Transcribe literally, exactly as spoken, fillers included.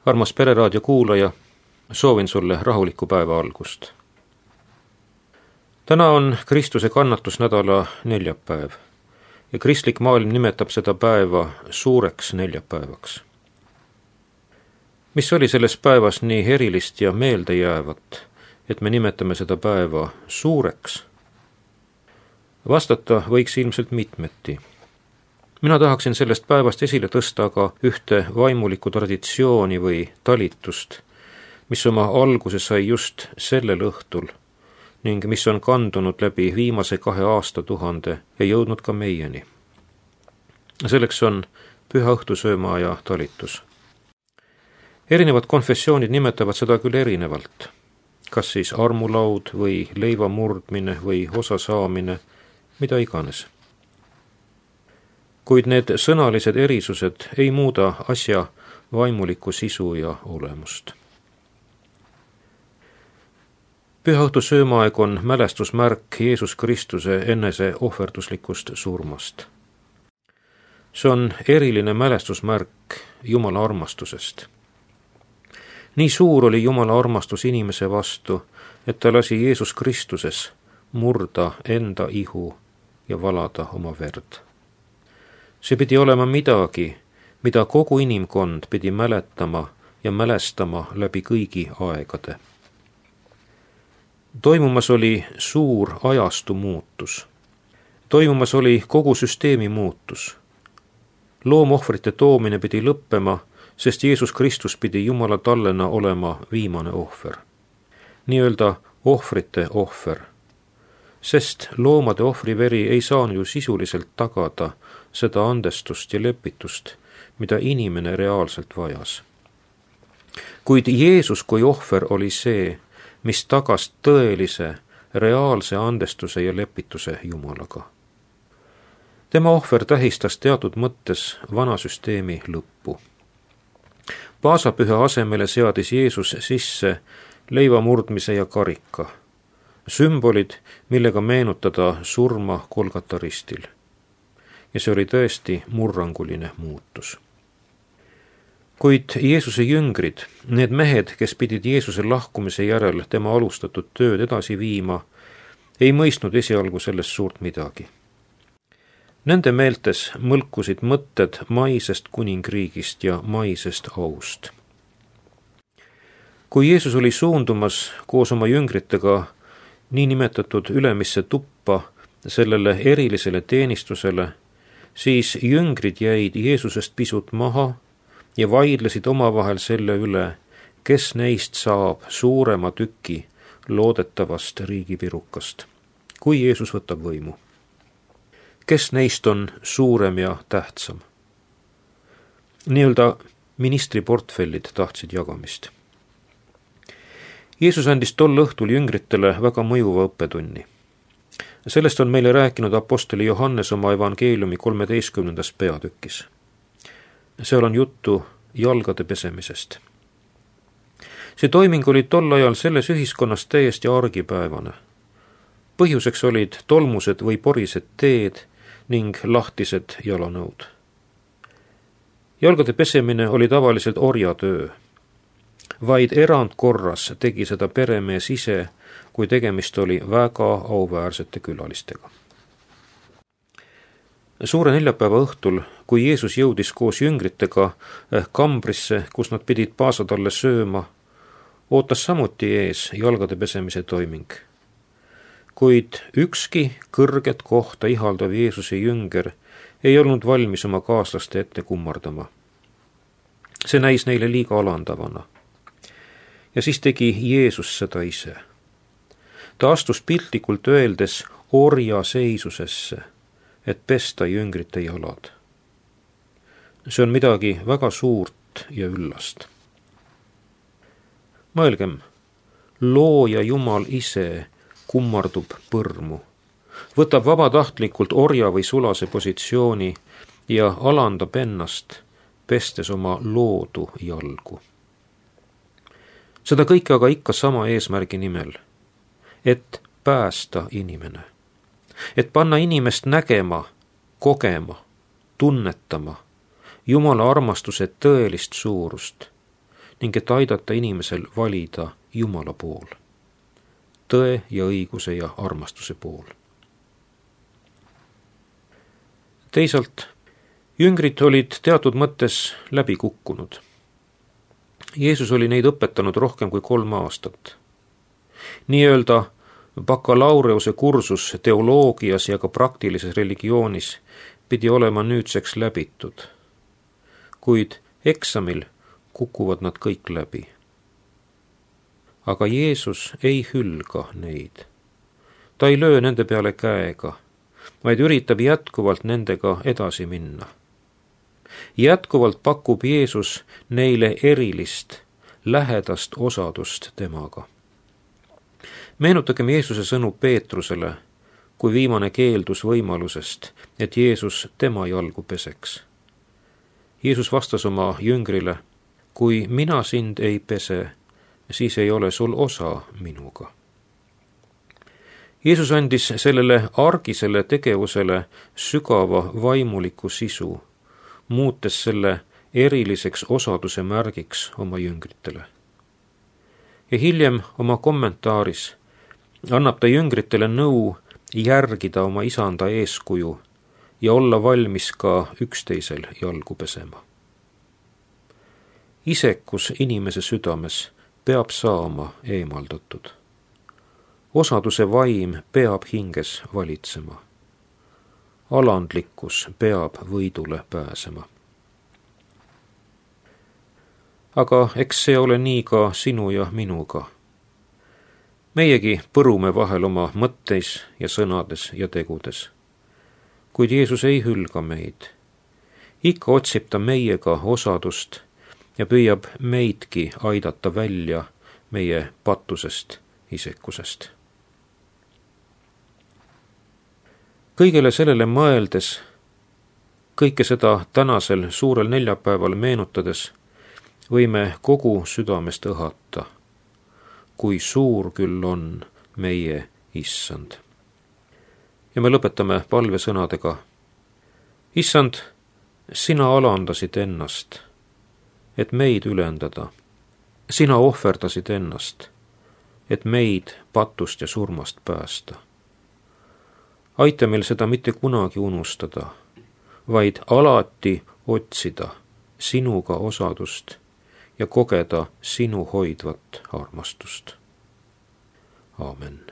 Armas Pereraadio kuulaja, soovin sulle rahulikku päeva algust. Täna on Kristuse kannatusnädala neljapäev ja kristlik maailm nimetab seda päeva suureks neljapäevaks. Mis oli selles päevas nii erilist ja meeldejäävat, et me nimetame seda päeva suureks? Vastata võiks ilmselt mitmeti. Mina tahaksin sellest päevast esile tõsta aga ühte vaimulikku traditsiooni või talitust, mis oma alguse sai just sellel õhtul ning mis on kandunud läbi viimase kahe aastatuhande ja jõudnud ka meieni. Selleks on püha õhtusöömaaja talitus. Erinevad konfessioonid nimetavad seda küll erinevalt, kas siis armulaud või leiva murdmine või osa saamine, mida iganes. Kuid need sõnalised erisused ei muuda asja vaimulikku sisu ja olemust. Pühaõhtu söömaaeg on mälestusmärk Jeesus Kristuse enese ohverduslikust surmast. See on eriline mälestusmärk Jumala armastusest. Nii suur oli Jumala armastus inimese vastu, et ta lasi Jeesus Kristuses murda enda ihu ja valada oma verd. See pidi olema midagi, mida kogu inimkond pidi mäletama ja mälestama läbi kõigi aegade. Toimumas oli suur ajastu muutus. Toimumas oli kogu süsteemi muutus. Loomohvrite toomine pidi lõppema, sest Jeesus Kristus pidi Jumala tallena olema viimane ohver. Nii-öelda ohvrite ohver. Sest loomade ohvriveri ei saanud ju sisuliselt tagada seda andestust ja lepitust, mida inimene reaalselt vajas. Kuid Jeesus kui ohver oli see, mis tagas tõelise, reaalse andestuse ja lepituse Jumalaga. Tema ohver tähistas teatud mõttes vana süsteemi lõppu. Paasapüha asemele seadis Jeesus sisse leiva murdmise ja karika, sümbolid, millega meenutada surma Golgata ristil. Ja see oli tõesti murranguline muutus. Kuid Jeesuse jüngrid, need mehed, kes pidid Jeesuse lahkumise järel tema alustatud tööd edasi viima, ei mõistnud esialgu sellest suurt midagi. Nende meeltes mõlkusid mõtted maisest kuningriigist ja maisest aust. Kui Jeesus oli suundumas koos oma jüngritega niinimetatud ülemisse tuppa sellele erilisele teenistusele, siis jüngrid jäid Jeesusest pisut maha ja vaidlesid omavahel selle üle, kes neist saab suurema tüki loodetavast riigipirukast, kui Jeesus võtab võimu. Kes neist on suurem ja tähtsam? Nii-öelda ministriportfellid tahtsid jagamist. Jeesus andis tol õhtul jüngritele väga mõjuva õppetunni. Sellest on meile rääkinud apostoli Johannes oma evangeeliumi kolmeteistkümnendas peatükis. Seal on juttu jalgade pesemisest. See toiming oli tol ajal selles ühiskonnas täiesti argipäevane. Põhjuseks olid tolmused või porised teed ning lahtised jalanõud. Jalgade pesemine oli tavaliselt orjatöö. Vaid erandkorras tegi seda peremees ise, kui tegemist oli väga auväärsete külalistega. Suure neljapäeva õhtul, kui Jeesus jõudis koos jüngritega kambrisse, kus nad pidid paasatalle sööma, ootas samuti ees jalgade pesemise toiming. Kuid ükski kõrget kohta ihaldav Jeesuse jünger ei olnud valmis oma kaaslaste ette kummardama. See näis neile liiga alandavana. Ja siis tegi Jeesus seda ise. Ta astus piltlikult öeldes orja seisusesse, et pesta jüngrite jalad. See on midagi väga suurt ja üllast. Mõelgem, looja Jumal ise kummardub põrmu, võtab vabatahtlikult orja või sulase positsiooni ja alandab ennast, pestes oma loodu jalgu. Seda kõike aga ikka sama eesmärgi nimel, et päästa inimene, et panna inimest nägema, kogema, tunnetama Jumala armastuse tõelist suurust ning et aidata inimesel valida Jumala pool, tõe ja õiguse ja armastuse pool. Teisalt, jüngrid olid teatud mõttes läbi kukkunud. Jeesus oli neid õpetanud rohkem kui kolm aastat. Nii-öelda bakalaureuse kursus teoloogias ja ka praktilises religioonis pidi olema nüüdseks läbitud, kuid eksamil kukuvad nad kõik läbi. Aga Jeesus ei hülga neid. Ta ei löö nende peale käega, vaid üritab jätkuvalt nendega edasi minna. Jätkuvalt pakub Jeesus neile erilist, lähedast osadust temaga. Meenutagem Jeesuse sõnu Peetrusele, kui viimane keeldus võimalusest, et Jeesus tema jalgu peseks. Jeesus vastas oma jüngrile, kui mina sind ei pese, siis ei ole sul osa minuga. Jeesus andis sellele argisele tegevusele sügava vaimuliku sisu, muutes selle eriliseks osaduse märgiks oma jüngritele. Ja hiljem oma kommentaaris annab ta jüngritele nõu järgida oma isanda eeskuju ja olla valmis ka üksteisel jalgu pesema. Isekus inimese südames peab saama eemaldatud. Osaduse vaim peab hinges valitsema. Alandlikkus peab võidule pääsema. Aga eks see ole nii ka sinu ja minuga. Meiegi põrume vahel oma mõtteis ja sõnades ja tegudes. Kuid Jeesus ei hülga meid. Ikka otsib ta meiega osadust ja püüab meidki aidata välja meie patusest isekusest. Kõigele sellele mõeldes, kõike seda tänasel suurel neljapäeval meenutades, võime kogu südamest õhata, kui suur küll on meie Issand. Ja me lõpetame palvesõnadega. Issand, sina alandasid ennast, et meid ülendada. Sina ohverdasid ennast, et meid patust ja surmast päästa. Aita meil seda mitte kunagi unustada, vaid alati otsida sinuga osadust ja kogeda sinu hoidvat armastust. Aamen.